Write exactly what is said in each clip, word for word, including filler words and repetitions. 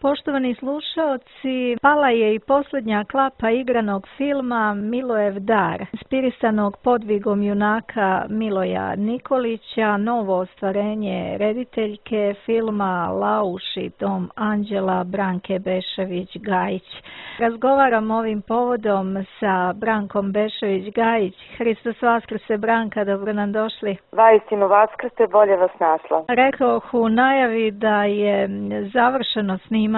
Poštovani slušaoci, pala je i posljednja klapa igranog filma Milojev dar, inspirisanog podvigom junaka Miloja Nikolića, novo ostvarenje rediteljke filma Lauš i dom anđela Branke Bešević-Gajić. Razgovaram ovim povodom sa Brankom Bešević-Gajić. Hristos Vaskrse, Branka, dobro nam došli. Vaistinu Vaskrse, bolje vas našla. Rekoh u najavi da je završeno snimanje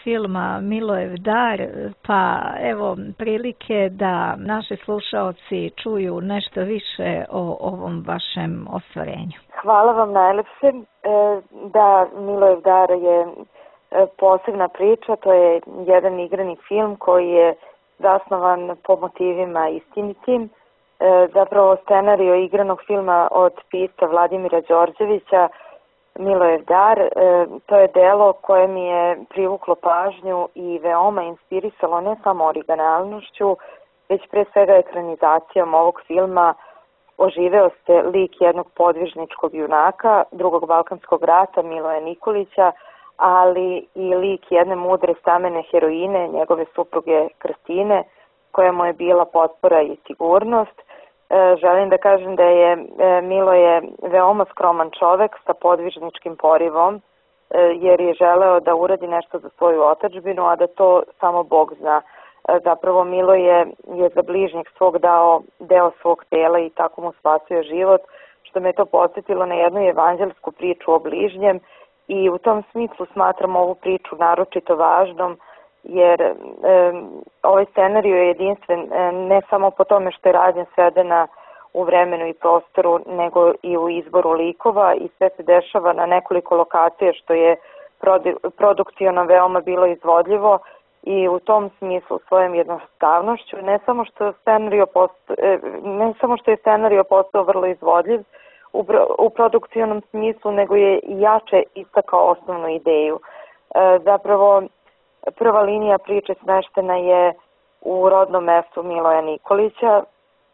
filma Milojev dar, pa evo prilike da naši slušaoci čuju nešto više o ovom vašem ostvarenju. Hvala vam najlepše. Da, Milojev dar je posebna priča, to je jedan igrani film koji je zasnovan po motivima istinitim. Zapravo scenario igranog filma od pisca Vladimira Đorđevića, Milojev dar, to je delo koje mi je privuklo pažnju i veoma inspirisalo ne samo originalnošću, već pre svega ekranizacijom ovog filma. Oživeo se lik jednog podvižničkog junaka drugog balkanskog rata Miloja Nikolića, ali i lik jedne mudre stamene heroine, njegove supruge Kristine, koja mu je bila potpora i sigurnost. Želim da kažem da je Miloje veoma skroman čovek sa podvižničkim porivom, jer je želeo da uradi nešto za svoju otadžbinu, a da to samo Bog zna. Zapravo Miloje je za bližnjeg svog dao deo svog tela i tako mu spasio život, što me to podsjetilo na jednu evanđelsku priču o bližnjem i u tom smislu smatram ovu priču naročito važnom, jer e, ovaj scenario je jedinstven e, ne samo po tome što je rađen svedena u vremenu i prostoru, nego i u izboru likova i sve se dešava na nekoliko lokacija, što je produkcijno veoma bilo izvodljivo i u tom smislu svojom jednostavnošću, ne samo što, scenario posto, e, ne samo što je scenario postao vrlo izvodljiv u, u produkcijnom smislu, nego je jače istakao osnovnu ideju. E, zapravo prva linija priče smeštena je u rodnom mestu Miloja Nikolića,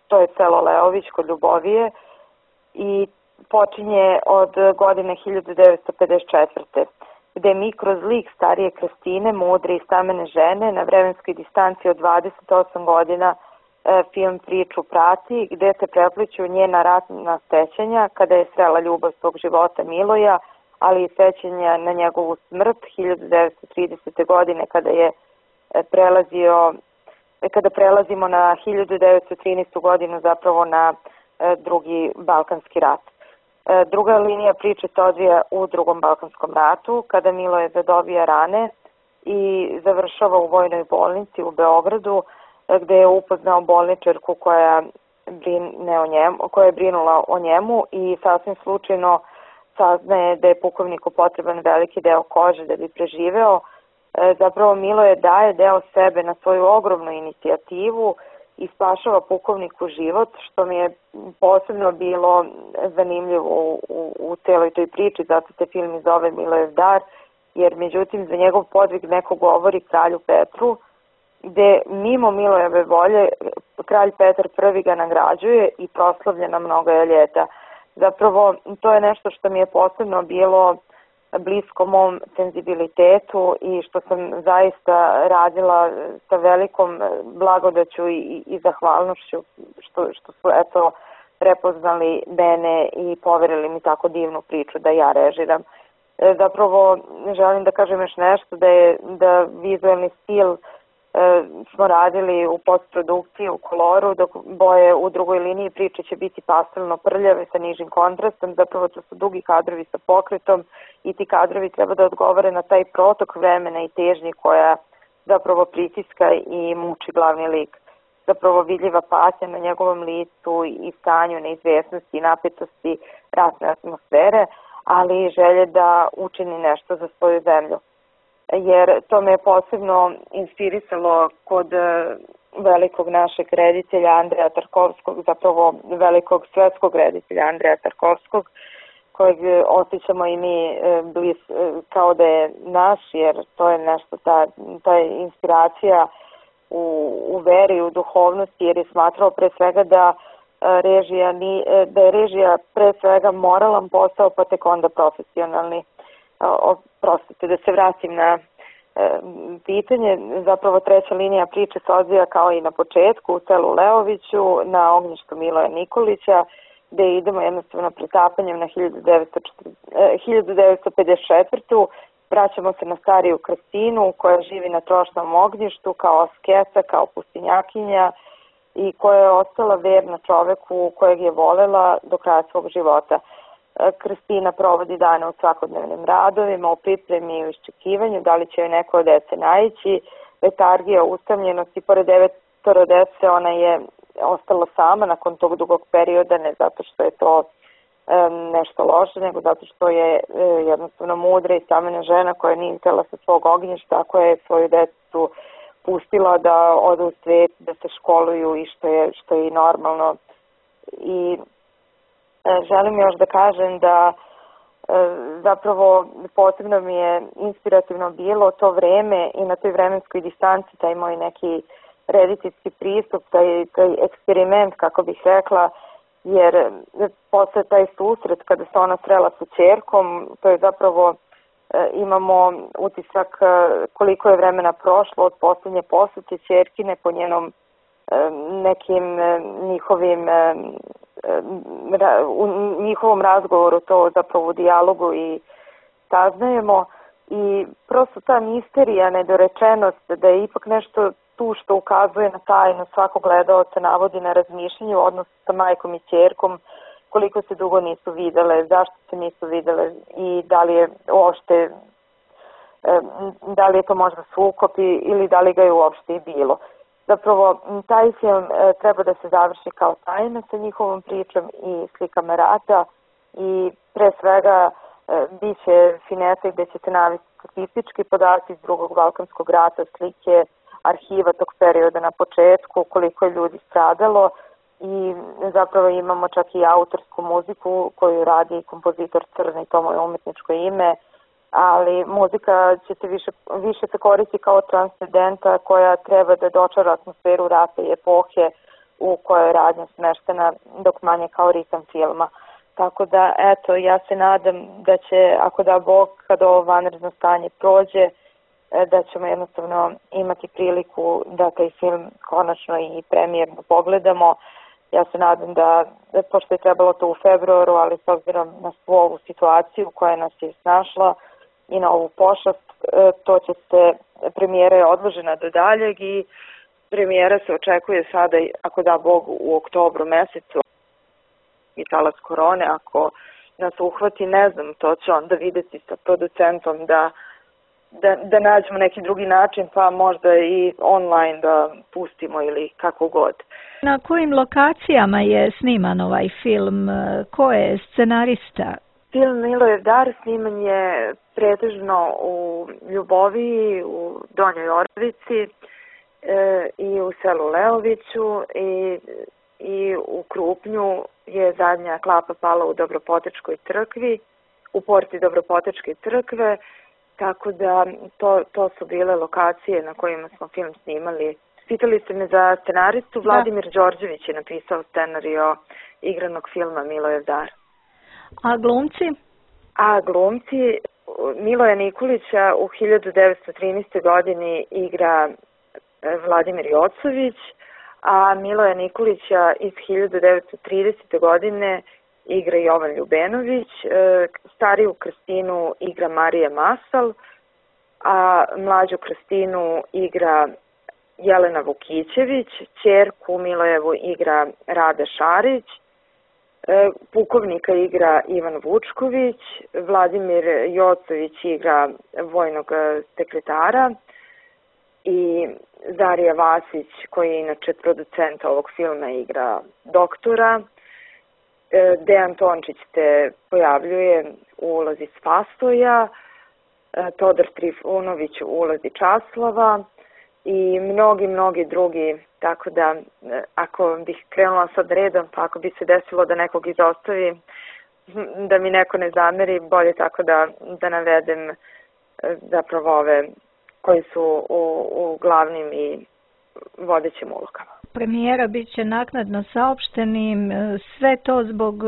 to je selo Leović kod Ljubovije i počinje od godine hiljadu devetsto pedeset četvrte. gde mi kroz lik starije Kristine, mudre i stamene žene, na vremenskoj distanci od dvadeset osam godina e, film priču prati, gde se prepliću njena ratna sećanja kada je srela ljubav svog života Miloja, ali i sećanja na njegovu smrt hiljadu devetsto tridesete. godine kada je prelazio, kada prelazimo na hiljadu devetsto trinaestu. godinu, zapravo na drugi Balkanski rat. Druga linija priče se odvija u drugom Balkanskom ratu, kada Miloje zadobija rane i završava u vojnoj bolnici u Beogradu, gde je upoznao bolničarku koja, brine o njemu, koja je brinula o njemu i sasvim slučajno saznaje da je pukovniku potreban veliki deo kože da bi preživeo. Zapravo Miloje daje deo sebe na svoju ogromnu inicijativu i spašava pukovniku život, što mi je posebno bilo zanimljivo u, u, u celoj toj priči, zato se film i zove Milojev dar, jer međutim za njegov podvig neko govori kralju Petru, gde mimo Milojeve volje kralj Petar prvi ga nagrađuje i proslavlja na mnoga ljeta. Zapravo to je nešto što mi je posebno bilo blisko mom senzibilitetu i što sam zaista radila sa velikom blagodaću i, i zahvalnošću što, što su eto prepoznali mene i poverili mi tako divnu priču da ja režiram. Zapravo želim da kažem još nešto, da je da vizualni stil e, smo radili u postprodukciji, u koloru, dok boje u drugoj liniji priče će biti pastelno prljave sa nižim kontrastom. Zapravo to su dugi kadrovi sa pokretom i ti kadrovi treba da odgovore na taj protok vremena i težnji koja zapravo pritiska i muči glavni lik. Zapravo vidljiva patnja na njegovom licu i stanju neizvesnosti i napetosti ratne atmosfere, ali i želje da učini nešto za svoju zemlju. Jer to me je posebno inspirisalo kod velikog našeg reditelja Andreja Tarkovskog, zapravo velikog svetskog reditelja Andreja Tarkovskog, kojeg osjećamo i mi bliz, kao da je naš, jer to je nešto, ta, ta inspiracija u, u veri, u duhovnosti, jer je smatrao pre svega da režija, da je režija pre svega moralan posao, pa tek onda profesionalni. Oprostite, da se vratim na pitanje. Zapravo treća linija priče se odvija kao i na početku u selu Leoviću na ognjištu Miloja Nikolića, gde idemo jednostavno pretapanjem na hiljadu devetsto pedeset četvrtu. Vraćamo se na stariju Kristinu koja živi na trošnom ognjištu kao asketa, kao pustinjakinja i koja je ostala verna čoveku kojeg je volela do kraja svog života. Kristina provodi dane u svakodnevnim radovima, u pripremi i u iščekivanju, da li će joj neko od dece naići. Letargija, usamljenost i pored devetoro dece ona je ostala sama nakon tog dugog perioda, ne zato što je to um, nešto loše, nego zato što je um, jednostavno mudra i samena žena koja nije htela sa svog ognjišta, koja je svoju decu pustila da odu u svet, da se školuju i što je, što je i normalno. I želim još da kažem da zapravo posebno mi je inspirativno bilo to vreme i na toj vremenskoj distanci taj moj neki rediteljski pristup, taj, taj eksperiment, kako bih rekla, jer posle taj susret kada se ona srela sa ćerkom, to je zapravo imamo utisak koliko je vremena prošlo od posljednje posete ćerkine po njenom nekim njihovim u njihovom razgovoru, to zapravo u dijalogu i saznajemo i prosto ta misterija, nedorečenost da je ipak nešto tu što ukazuje na tajnu svakog gledaoca, navodi na razmišljanje u odnosu sa majkom i ćerkom, koliko se dugo nisu videle, zašto se nisu videle i da li je uopšte da li je to možda sukob ili da li ga je uopšte i bilo. Zapravo, taj film e, treba da se završi kao tajna sa njihovom pričom i slikama rata i pre svega e, bit će finesa gde ćete navesti statistički podaci iz drugog Balkanskog rata, slike arhiva tog perioda na početku, koliko je ljudi stradalo i zapravo imamo čak i autorsku muziku koju radi kompozitor Crni, to mu je umetničko ime, ali muzika će se više, više se koristi kao transcendenta koja treba da dočara atmosferu rata i epohe u kojoj je radnja smeštena, dok manje kao ritam filma. Tako da, eto, ja se nadam da će, ako da Bog, kada ovo vanredno stanje prođe, da ćemo jednostavno imati priliku da taj film konačno i premijerno pogledamo. Ja se nadam da, pošto je trebalo to u februaru, ali s obzirom na svu ovu situaciju koja nas je snašla, i na ovu pošast, to će se, premijera je odložena do daljeg i premijera se očekuje sada, ako da Bog, u oktobru mesecu i talas korone, ako nas uhvati, ne znam, to će onda videti sa producentom da, da, da nađemo neki drugi način, pa možda i online da pustimo ili kako god. Na kojim lokacijama je sniman ovaj film? Ko je scenarista? Film Milojev dar sniman je pretežno u Ljuboviji, u Donjoj Orvici e, i u selu Leoviću i, i u Krupnju je zadnja klapa pala u Dobropotečkoj crkvi, u porti Dobropotečke crkve, tako da to, to su bile lokacije na kojima smo film snimali. Pitali ste me za scenaristu, Vladimir Đorđević je napisao scenario igranog filma Milojev dar. A glumci? A glumci, Miloja Nikolića u hiljadu devetsto trinaestoj. godini igra Vladimir Jocović, a Miloja Nikolića iz hiljadu devetsto tridesete. godine igra Jovan Ljubenović, stariju Kristinu igra Marija Masal, a mlađu Kristinu igra Jelena Vukićević, ćerku Milojevu igra Rada Šarić, pukovnika igra Ivan Vučković, Vladimir Jocović igra vojnog sekretara i Darija Vasić, koji je inače producent ovog filma, igra doktora. Dejan Tončić se pojavljuje u ulozi Spasoja, Todor Trifunović u ulozi Časlava i mnogi, mnogi drugi, tako da ako bih krenula sad redom, pa ako bi se desilo da nekog izostavi, da mi neko ne zameri, bolje tako da, da navedem zapravo ove koji su u, u glavnim i vodećim ulogama. premijera bit će naknadno saopštenim, sve to zbog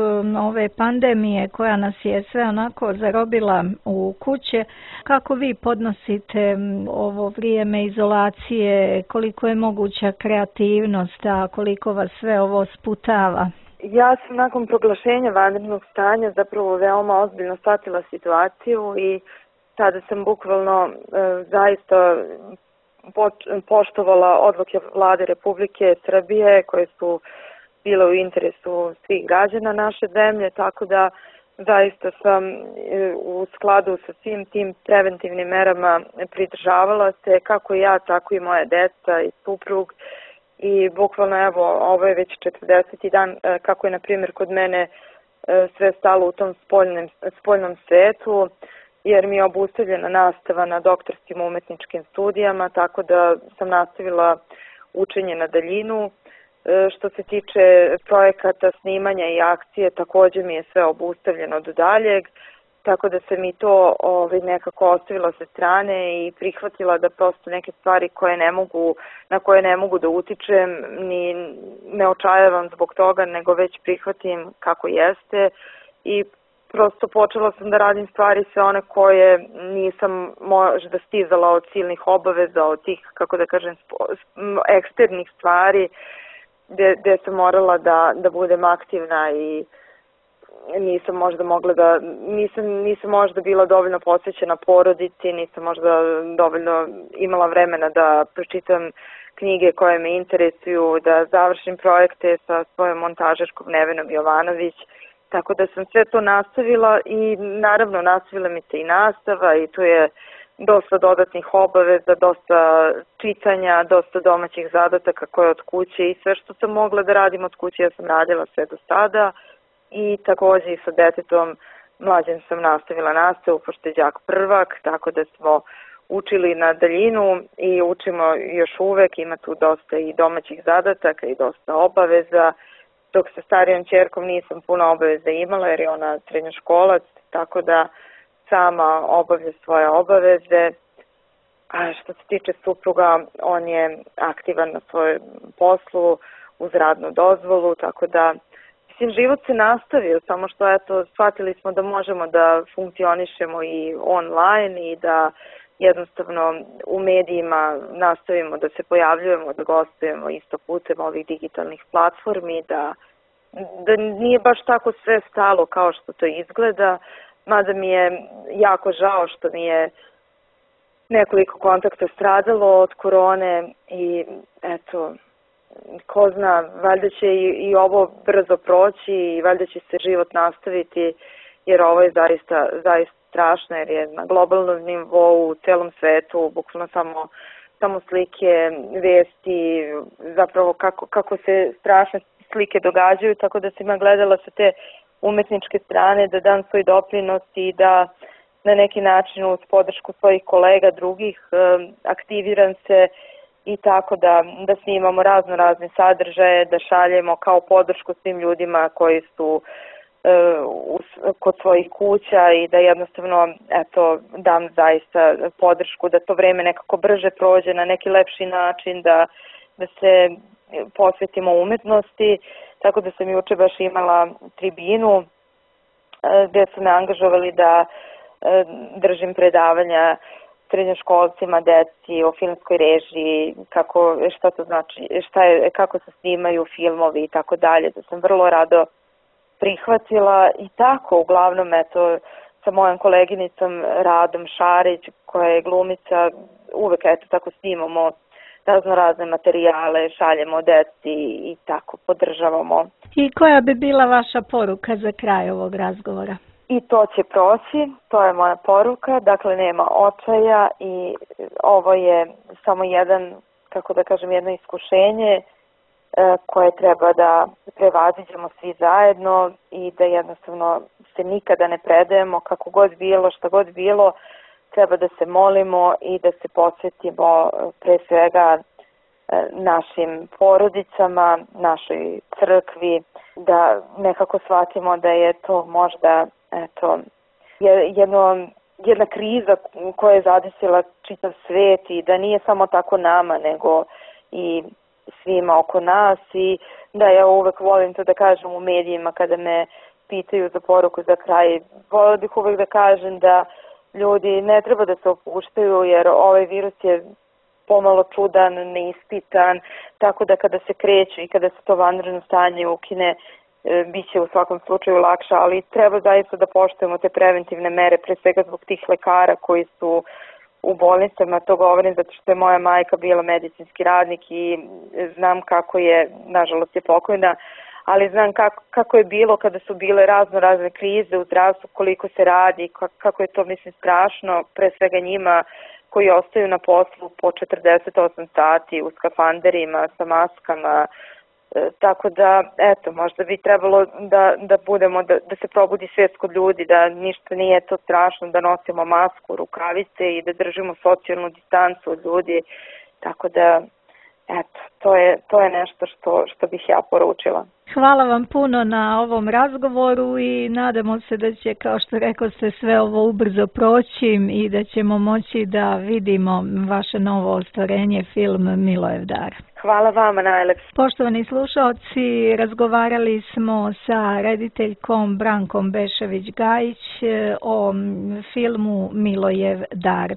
ove pandemije koja nas je sve onako zarobila u kuće. Kako vi podnosite ovo vrijeme izolacije, koliko je moguća kreativnost, a koliko vas sve ovo sputava? Ja sam nakon proglašenja vanrednog stanja zapravo veoma ozbiljno shvatila situaciju i tada sam bukvalno e, zaista poštovala odluke Vlade Republike Srbije koje su bile u interesu svih građana naše zemlje, tako da zaista sam u skladu sa svim tim preventivnim merama pridržavala se, kako ja, tako i moja deca i suprug. I bukvalno evo, ovo je već četrdeseti dan kako je na primjer kod mene sve stalo u tom spoljnom, spoljnom svetu, jer mi je obustavljena nastava na doktorskim umetničkim studijama, tako da sam nastavila učenje na daljinu. Što se tiče projekata, snimanja i akcije, također mi je sve obustavljeno do daljeg, tako da sam i to ovaj, nekako ostavila sa strane i prihvatila da prosto neke stvari koje ne mogu, na koje ne mogu da utičem, ni ne očajavam zbog toga, nego već prihvatim kako jeste i prosto počela sam da radim stvari sve one koje nisam možda stizala od silnih obaveza, od tih, kako da kažem, eksternih stvari gde, gde sam morala da, da budem aktivna i nisam možda mogla da, nisam, nisam možda bila dovoljno posvećena porodici, nisam možda dovoljno imala vremena da pročitam knjige koje me interesuju, da završim projekte sa svojom montažerkom Nevenom Jovanović. Tako da sam sve to nastavila i naravno nastavila mi se i nastava i tu je dosta dodatnih obaveza, dosta čitanja, dosta domaćih zadataka koje od kuće i sve što sam mogla da radim od kuće ja sam radila sve do sada i također i sa detetom mlađim sam nastavila nastavu pošto je đak prvak, tako da smo učili na daljinu i učimo još uvek, ima tu dosta i domaćih zadataka i dosta obaveza. Dok sa starijom ćerkom nisam puno obaveza imala jer je ona srednjoškolac, tako da sama obavlja svoje obaveze. A što se tiče supruga, on je aktivan na svojem poslu uz radnu dozvolu, tako da mislim, život se nastavio, samo što eto, shvatili smo da možemo da funkcionišemo i online i da jednostavno u medijima nastavimo da se pojavljujemo, da gostujemo isto putem ovih digitalnih platformi, da, da nije baš tako sve stalo kao što to izgleda, mada mi je jako žao što mi je nekoliko kontakta stradalo od korone i eto, ko zna, valjda će i, i ovo brzo proći i valjda će se život nastaviti jer ovo je zaista, zaista strašno jer je na globalnom nivou u celom svetu bukvalno samo, samo slike, vesti, zapravo kako, kako se strašne slike događaju, tako da sam ima gledala sa te umetničke strane da dam svoj doprinos i da na neki način uz podršku svojih kolega drugih aktiviram se i tako da, da snimamo razno razne sadržaje, da šaljemo kao podršku svim ljudima koji su kod svojih kuća i da jednostavno eto, dam zaista podršku da to vreme nekako brže prođe na neki lepši način, da, da se posvetimo umetnosti. Tako da sam juče baš imala tribinu gde su me angažovali da držim predavanja srednjoškolcima, deci o filmskoj režiji, kako, šta to znači, šta je, kako se snimaju filmovi i tako dalje, da sam vrlo rado prihvatila i tako, uglavnom, eto, sa mojom koleginicom Radom Šarić, koja je glumica, uvek, eto, tako snimamo razno razne materijale, šaljemo deci i tako, podržavamo. I koja bi bila vaša poruka za kraj ovog razgovora? I to će proći, to je moja poruka, dakle nema očaja i ovo je samo jedan, kako da kažem, jedno iskušenje koje treba da prevaziđemo svi zajedno i da jednostavno se nikada ne predajemo, kako god bilo, šta god bilo, treba da se molimo i da se posvetimo pre svega našim porodicama, našoj crkvi, da nekako shvatimo da je to možda eto, jedno, jedna kriza koja je zadesila čitav svet i da nije samo tako nama, nego i svima oko nas i da ja uvek volim to da kažem u medijima kada me pitaju za poruku za kraj. Volila bih uvek da kažem da ljudi ne treba da se opuštaju jer ovaj virus je pomalo čudan, neispitan, tako da kada se kreću i kada se to vanredno stanje ukine, e, bit će u svakom slučaju lakše, ali treba zaista da poštujemo te preventivne mere, pre svega zbog tih lekara koji su u bolnicama, to govorim zato što je moja majka bila medicinski radnik i znam kako je, nažalost je pokojna, ali znam kako, kako je bilo kada su bile razno razne krize u zdravstvu, koliko se radi, kako je to mislim strašno, pre svega njima koji ostaju na poslu po četrdeset osam sati u skafanderima, sa maskama, e, tako da, eto, možda bi trebalo da, da budemo, da, da se probudi svijest kod ljudi, da ništa nije to strašno, da nosimo masku, rukavice i da držimo socijalnu distancu od ljudi, tako da, eto, to je, to je nešto što, što bih ja poručila. Hvala vam puno na ovom razgovoru i nadamo se da će, kao što rekao ste, sve ovo ubrzo proći i da ćemo moći da vidimo vaše novo ostvarenje, film Milojev dar. Hvala vama najlepše. Poštovani slušalci, razgovarali smo sa rediteljkom Brankom Bešević-Gajić o filmu Milojev dar.